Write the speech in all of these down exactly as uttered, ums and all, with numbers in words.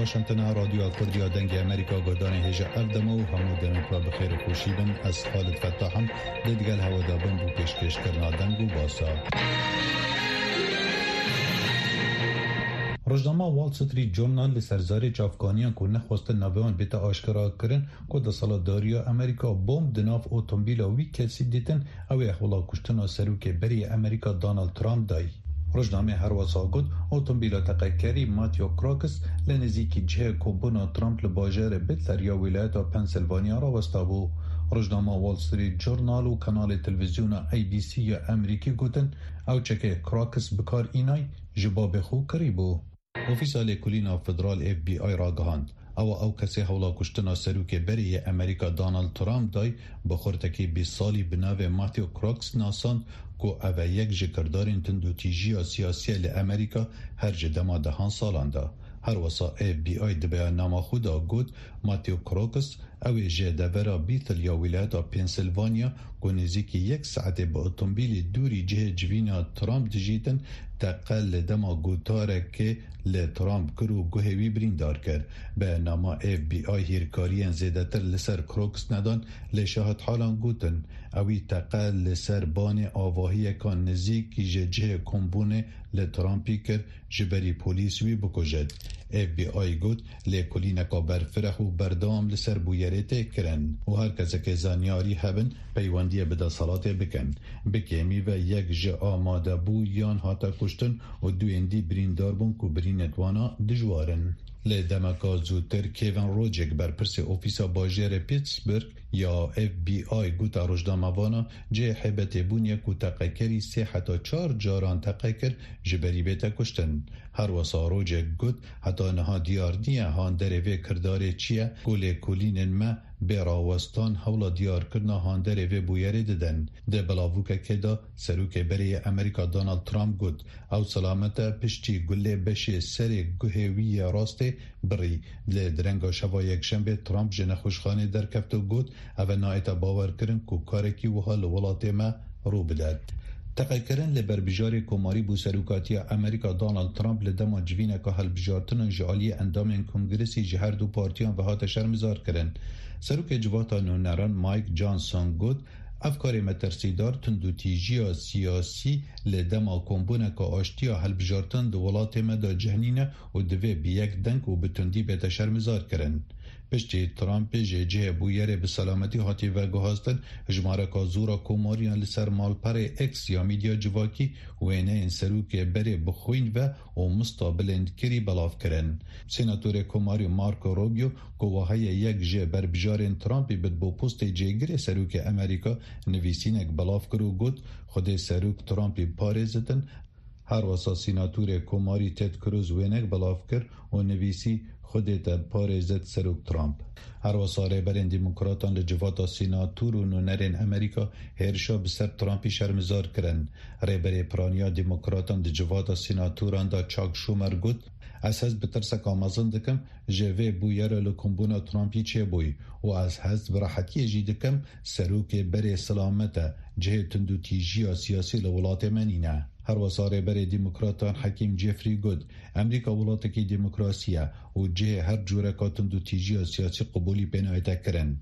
Washington, Radyoya Kurdiya Dengê Amerîka, guhdarên hêja ev dema û hemû demê bi xêr û xweşî bin. Ez Xalid Fettah im, digel hewe de bim bo pêşkêşkirina deng û basa. Rojnama Wall Street Journal li ser zarê çavkaniyan ku nexwestin navê wan bête aşkera kirin, ku desthilatdariya Amerîka bomb di nav otomobîla wî kesî dîtin, ew ê hewla kuştina serokê berê yê Amerîka Donald Trump dayî. Rojnameyê herwesa got, otomobîla teqekerî Matthew Crooks li nêzîkî cihê kombûna Trump li bajarê Butler ya wîlayeta Pennsylvania rawestabû. Rojnama Wall Street Journal û kanalê televîzyona A B C ya Amerîkî gotin, ew çekê Crooks bi kar înay, ji babê xwe kirî bû. Ofîsa Lêkolîna Federal, F B I, ragihand, ew ew kesê hewla kuştina serokê berê yê Amerîka Donald Trump dayî, bi xurtekî bîst salî bi navê Matthew Crooks nasand, ku ev e yek ji kirdarên tundûtîjiya siyasî ye li Amerîka her ji dema dehan salan de. Herwesa F B I di beyannama xwe de got, Matthew Crooks, ew ê ji devera Bethel ya wîlayeta Pennsylvania, ku nêzîkî yek saetê bi otomobîlê dûrî cihê civîna Trump dijîtin, teqe li dema gotarekê li Trump kir û guhê wî birîndar kir. Beyannama F B I hîrkariyên zêdetir li ser Crooks nedan, lê şahidhalan gotin, ewî teqe li ser banê avahiyeka nizîk ji cihê kombûnê li Trumpî kir, ji berî polîs wî bikujit. F B I got, lêkolîneka berfireh û berdewam li ser bûyerê tê kirin û her kesekê zanyarî hebin, peywendiyê bi desthilatê bikin. Bi kêmî ve yek ji amadebûyan hate kuştin û duyên dî birîndar bûn ku birînên wana dijwar in. Lê demeka zûtir Kevin Rojek, berpirsê ofîsa bajêrê Pittsburgh ya F B I, gote rojnamevana, cihê heybetê bûn ye ku teqekerî sê heta çar caran teqe kir, ji berî bête kuştin. Herwesa Rojek got, heta niha diyar niye handerê vê kirdarê çi ye, ku lêkolînên me bê rawestan hewla diyarkirina handerê vê bûyerê didin. Di bilavûkekê de serokê berê yê Amerîka Donald Trump got, ew selamet e, piştî gulê beşê serê guhê wî yê rastê birî. Li direnga şeva Yekşembê Trump ji nexweşxanê derkeft û got, ev e nayête bawerkirin ku karekî wiha li welatê me rû bidet. Teqekirin li berbijarê komarî bo serokatiya Amerîka Donald Trump li dema civîneka hilbijartinan ji aliyê endamên Kongresê ji her du partiyan ve hate şermizarkirin. Serokê Civata Nûneran Mike Johnson got, ev karê metirsîdar, tundûtîjiya siyasî li dema kombûneka aştiya hilbijartin di welatê me de cih nîne û divê bi yek deng û bi tundî bête şermizarkirin. Piştî Trumpê ji cihê bûyerê bi selametî hatî veguhastin, jimareka zor a komariyan li ser malperê X ya medya civakî wêneyên serokê berê bi xwîn ve û mista bilindkirî belav kirin. Senatorê komarî Marco Rubio, ku wiha ye yek ji berbijarên Trumpî bit bo postê cêgirê serokê Amerîka, nivîsînek belav kir û got, Xwedê serok Trumpî biparêzitin. Herwesa sînatorê komarî Ted Cruz wênek belav kir û nivîsî, Xwedê te parêzit serok Trump. Herwesa rêberên demokratan li civata sînator û nûnerên Amerîka hêrişa bi ser Trumpî şermizar kirin. Rêberê piraniya demokratan di civata sînatoran de Chuck Schumer got, ez hest bi tirseka mezin dikim, ji vê bûyera li kombûna Trumpî çêbûyî û ez hest bi rehetiyê jî dikim, serokê berê silamet e, cihê tundûtîjiya siyasî li welatê me nîne. Herwesa rêberê demokratan Hakeem Jeffrey got, Amerîka welatekî demokrasî ye û cihê her cûreka tundûtîjiya siyasî qubûlî pê nayête kirin.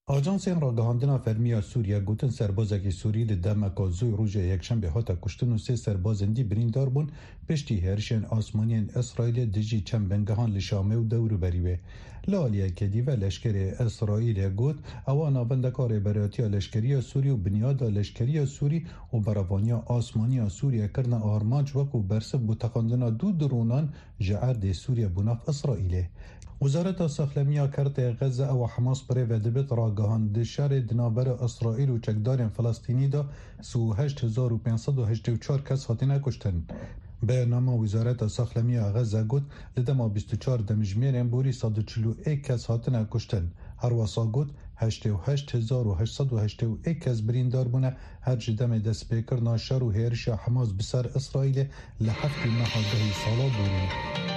Ajansên ragihandina fermî ya Sûriye gotin serbazekî Sûrî di demeka zû rojê Yekşembê hate kuştin û sê serbazên dî birîndar bûn piştî hêrişên asmanî yên Îsraîlê dijî çend bingehan li Şamê û dewrûberî wê. Li aliyekê dî ve leşkerê Îsraîlê got, ewa navendeka rêberatiya leşkerî ya Sûrî û binyada leşkerî ya Sûrî û berevaniya asmanî ya Sûrî kirine armanc wekû bersiv bo teqandina du dronan ji erdê Sûrî bo nav Îsraîlê. Wezareta Saxlemiya Kertê Xezze, ewa Hamas bi rê ve dibit, ragihand, di şerê di navbera Îsraîl û çekdarên Filistînî de sî û heşt hezar û pênc sed û heştê û çar kes hatine kuştin. Beyannama Wezareta Saxlemiya Xezze got, li dema bîst û çar demjimêrên borî sed û çil û yek kes hatine kuştin. Herwesa got, heştê û heşt hezar û heşt sed û heştê û yek kes birîndar bûne, her ji demê destpêkirina şer û hêrişa Hamas bi ser Îsraîlê li heftê meha dehê sala borî.